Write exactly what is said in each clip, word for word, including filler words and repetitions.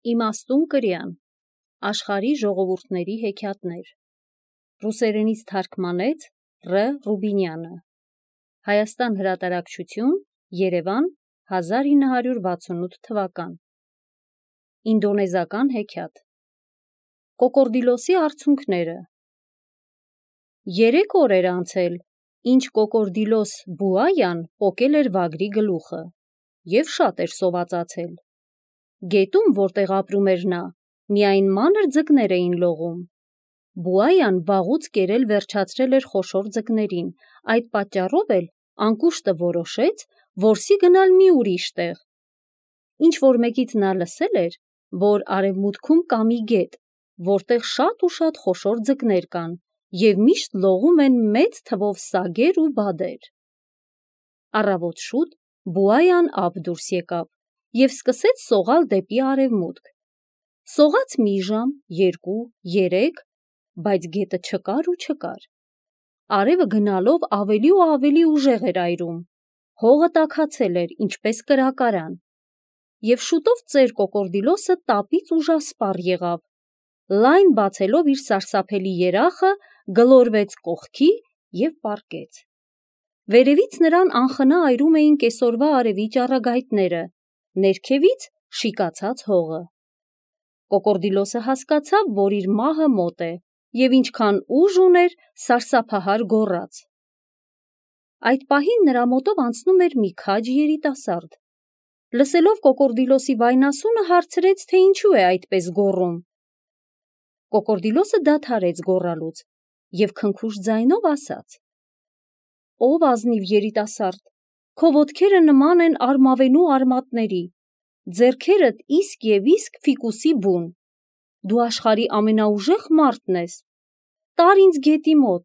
Իմաստուն կրյան, աշխարհի ժողովուրդների հեքիաթներ, ռուսերենից թարգմանեց Ռ. Ռուբինյանը, Հայաստան հրատարակչություն, Երևան, հազար ինը հարյուր վաթսունութ թվական, ինդոնեզական հեքիաթ, Կոկորդիլոսի արցունքները, երեք օր էր անցել, ինչ Կոկորդիլոս Բուայան պոկել էր վագրի գլուխը և շատ էր սովածացել, գետում, որտեղ ապրում էր նա, միայն մանր ձկներ էին լողում, Բուայան վաղուց կերել վերջացրել էր խոշոր ձկներին, այդ պատճառով էլ անկուշտը որոշեց, որսի գնալ մի ուրիշ տեղ, ինչ-որ մեկից նա լսել էր, որ արևմուտքում կա մի գետ, որտեղ շատ ու շատ խոշոր ձկներ կան և միշտ լողում են մեծ թվով սագեր ու բադեր։ Առավոտ շուտ Բուայան ափ դուրս եկավ և սկսեց սողալ դեպի արևմուտք, սողաց մի ժամ, երկու, երեք, բայց գետը չկար ու չկար, արևը գնալով ավելի ու ավելի ուժեղ էր այրում, հողը տաքացել էր, ինչպես կրակարան, և շուտով ծեր Կոկորդիլոսը տապից ուժասպառ եղավ, լայն բացելով իր սարսափելի երախը, գլորվեց կողքի և պառկեց։ Վերևից նրան անխնա այրում էին կեսօրվա արևի ճառագայթները, ներքևից շիկացած հողը։ Կոկորդիլոսը հասկացավ, որ իր մահը մոտ է, և ինչքան ուժ ուներ, սարսափահար գոռաց։ Այդ պահին նրա մոտով անցնում էր մի քաջ երիտասարդ։ Լսելով Կոկորդիլոսի վայնասունը, հարցրեց, թե ինչու է այդպես գոռում։ Կոկորդիլոսը դադարեց գոռալուց և քնքուշ ձայնով ասաց. «Ով ազնիվ երիտասարդ, քո ոտքերը նման են արմավենու արմատների, ձեռքերդ իսկ և իսկ ֆիկուսի բուն, դու աշխարհի ամենաուժեղ մարդն ես, տար ինձ գետի մոտ,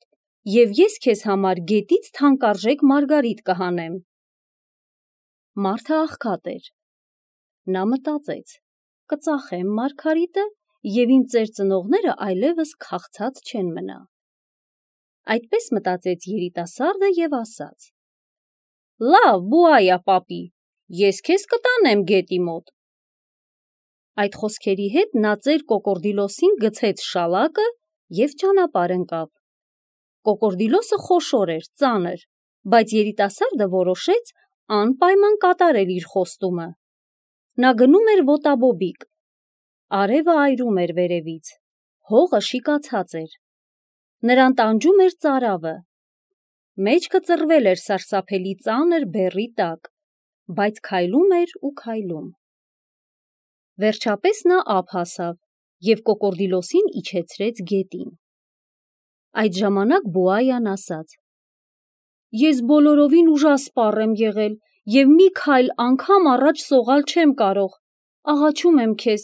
և ես քեզ համար գետից թանկարժեք մարգարիտ կհանեմ»։ Մարդը աղքատ էր։ Նա մտածեց. կծախեմ մարգարիտը, և իմ ծեր ծնողները այլևս քաղցած չեն մնա։ Այդպես մտածեց երիտասարդը և ասաց. «Լավ, Բուայա պապի, ես քեզ կտանեմ գետի մոտ»։ Այդ խոսքերի հետ նա ծեր Կոկորդիլոսին գցեց շալակը և ճանապարհ ընկավ։ Կոկորդիլոսը խոշոր էր, ծանր, բայց երիտասարդը որոշեց անպայման կատարել իր խոստումը։ Նա գնում էր ոտաբոբիկ։ Արևը այրում էր վերևից, հողը շիկացած էր։ Նրան տանջում էր ծարավը։ Մեջքը ծռվել էր սարսափելի ծանր բեռի տակ, բայց քայլում էր ու քայլում։ Վերջապես նա ափ հասավ և Կոկորդիլոսին իջեցրեց գետին։ Այդ ժամանակ Բուայան ասաց. «Ես բոլորովին ուժասպառ եմ եղել և մի քայլ անգամ առաջ սողալ չեմ կարող, աղաչում եմ քեզ,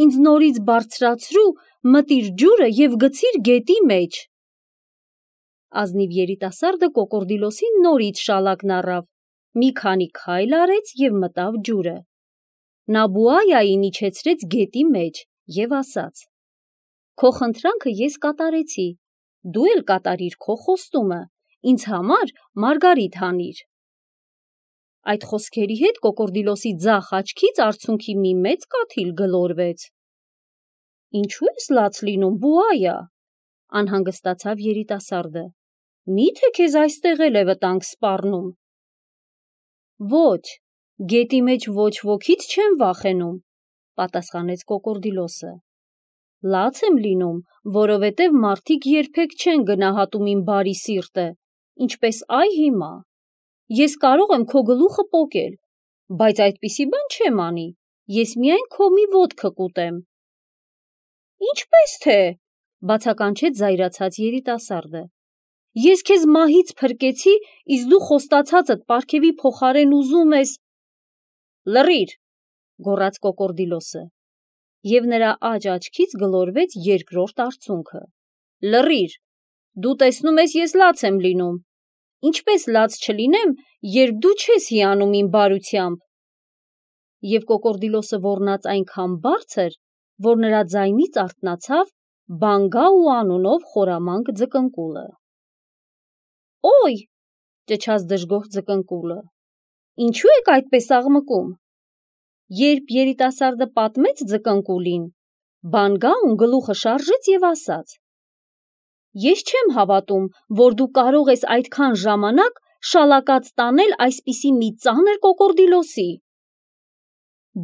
ինձ նորից բարձրացրու, մտիր ջուրը և գցիր գետի մեջ»։ Ազնիվ երիտասարդը Կոկորդիլոսին նորից շալակն առավ, մի քանի քայլ արեց և մտավ ջուրը։ Նա Բուայային իջեցրեց գետի մեջ և ասաց. «Քո խնդրանքը ես կատարեցի, դու էլ կատարիր քո խոստումը, ինձ համար մարգարիտ հանիր»։ Այդ խոսքերի հետ Կոկորդիլոսի ձախ աչքից արցունքի մի մեծ կաթիլ գլորվեց։ «Ինչու ես լաց լինում, Բուայա», անհանգստացավ երիտասարդը, «միթե քեզ այստեղ էլ է վտանգ սպառնում»։ «Ոչ, գետի մեջ ոչ ոքից չեմ վախենում», պատասխանեց Կոկորդիլոսը։ «Լաց եմ լինում, որովհետև մարդիկ երբեք չեն գնահատում իմ բարի սիրտը, ինչպես այ հիմա։ Ես կարող եմ քո գլուխը պոկել, բայց այդպիսի բան չեմ անի, ես միայն քո մի ոտքը կուտեմ»։ «Ինչպես թե», բացականչեց զայրացած երիտասարդը, «ես քեզ մահից փրկեցի, իսկ դու խոստացածդ պարգևի փոխարեն ուզում ես...» «Լռիր», գոռաց Կոկորդիլոսը, և նրա աջ աչքից գլորվեց երկրորդ արցունքը։ «Լռիր, դու տեսնում ես ես լաց եմ լինում, ինչպես լաց չլինեմ, երբ դու չես հիանում իմ բարությամբ»։ Եվ Կոկորդիլոսը ոռնաց այնքան բարձր, որ նրա ձայնից արթնացավ Բանգաու անունով խորամանկ ձկնկուլը։ «Օй», ճչաց դժգոհ ձկնկուլը, «ինչու եք այդպես աղմկում»։ Երբ երիտասարդը պատմեց ձկնկուլին, Բանգաուն գլուխը շարժեց և ասաց. «Ես չեմ հավատում, որ դու կարող ես այդքան ժամանակ շալակած տանել այսպիսի մի ծանր կոկորդիլոսի»։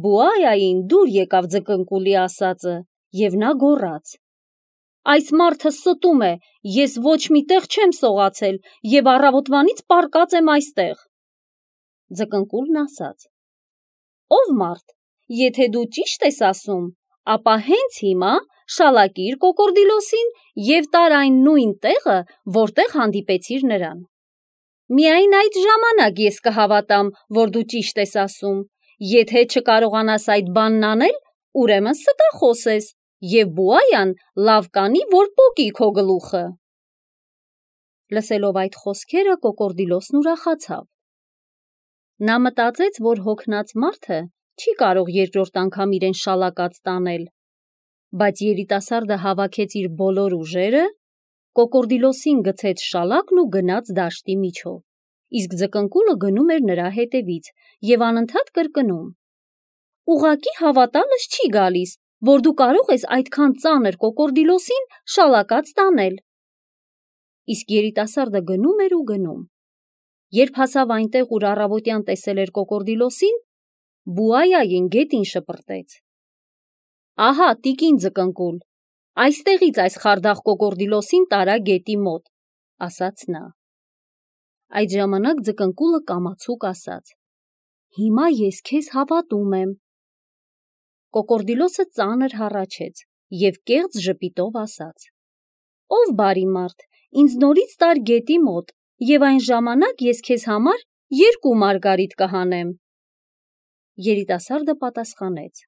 Բուայային դուր եկավ ձկնկուլի ասածը, և նա գոռաց. «Այս մարդը ստում է, ես ոչ մի տեղ չեմ սողացել և առավոտվանից պառկած եմ այստեղ»։ Ձկնկուլն ասաց. «Ով մարդ, եթե դու ճիշտ ես ասում, ապա հենց հիմա շալակիր կոկորդիլոսին և տար այն նույն տեղը, որտեղ հանդիպեցիր նրան։ Միայն այդ ժամանակ ես կհավատամ, որ դու ճիշտ ես ասում, եթե չկարողանաս այդ բանն անել, ուրեմն ստախոս ես, և Բուայան լավ կանի, որ պոկի քո գլուխը»։ Լսելով այդ խոսքերը կոկորդիլոսն ուրախացավ։ Նա մտածեց, որ հոգնած մարդը չի կարող երկրորդ անգամ իրեն շալակած տանել, բայց երիտասարդը հավաքեց իր բոլոր ուժերը, կոկորդիլոսին գցեց շալակն ու գնաց դաշտի միջով, իսկ ձկնկուլը գնում էր նրա հետևից և անընդհատ կրկնում. «Ուղղակի հավատալս չի գալիս, որ դու կարող ես այդքան ծանր կոկորդիլոսին շալակած տանել»։ Իսկ երիտասարդը գնում էր ու գնում։ Երբ հասավ այնտեղ, ուր առավոտյան տեսել էր կոկորդիլոսին, Բուայային գետին շպրտեց. «Ահա, տիկին ձկնկուլ, այստեղից այս խարդախ կոկորդիլոսին տարա գետի մոտ», ասաց նա։ Այդ ժամանակ ձկնկուլը կամացուկ ասաց. «Հիմա ես քեզ հավատում եմ»։ Կոկորդիլոսը ծանր հառաչեց և կեղծ ժպիտով ասաց. «Ով բարի մարդ, ինձ նորից տար գետի մոտ, և այն ժամանակ ես քեզ համար երկու մարգարիտ կհանեմ»։ Երիտասարդը պատասխանեց.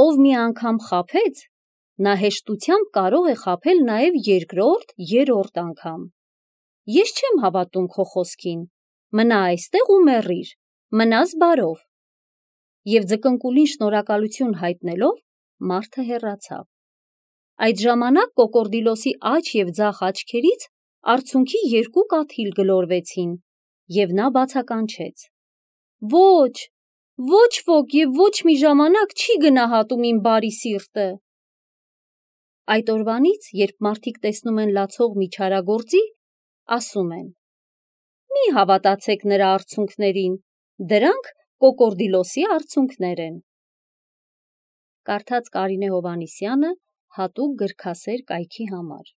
«Ով մի անգամ խաբեց, նա հեշտությամբ կարող է խաբել նաև երկրորդ, երրորդ անգամ։ Ես չեմ հավատում քո խոսքին, մնա այստեղ ու մեռիր, մնաս բարով»։ Եվ ձկնկուլին շնորհակալություն հայտնելով, մարդը հեռացավ։ Այդ ժամանակ կոկորդիլոսի աջ և ձախ աչքերից արցունքի երկու կաթիլ գլորվեցին, և նա բացականչեց. «Ոչ, ոչ ոք և ոչ մի ժամանակ չի գնահատում իմ բարի սիրտը»։ Այդ օրվանից, երբ մարդիկ տեսնում են լացող մի չարագործի, ասում են. «Մի հավատացեք նրա արցունքներին, դրանք կոկորդիլոսի արցունքներ են»։ Կարդաց Կարինե Հովհաննիսյանը հատուկ գրքասեր կայքի համար։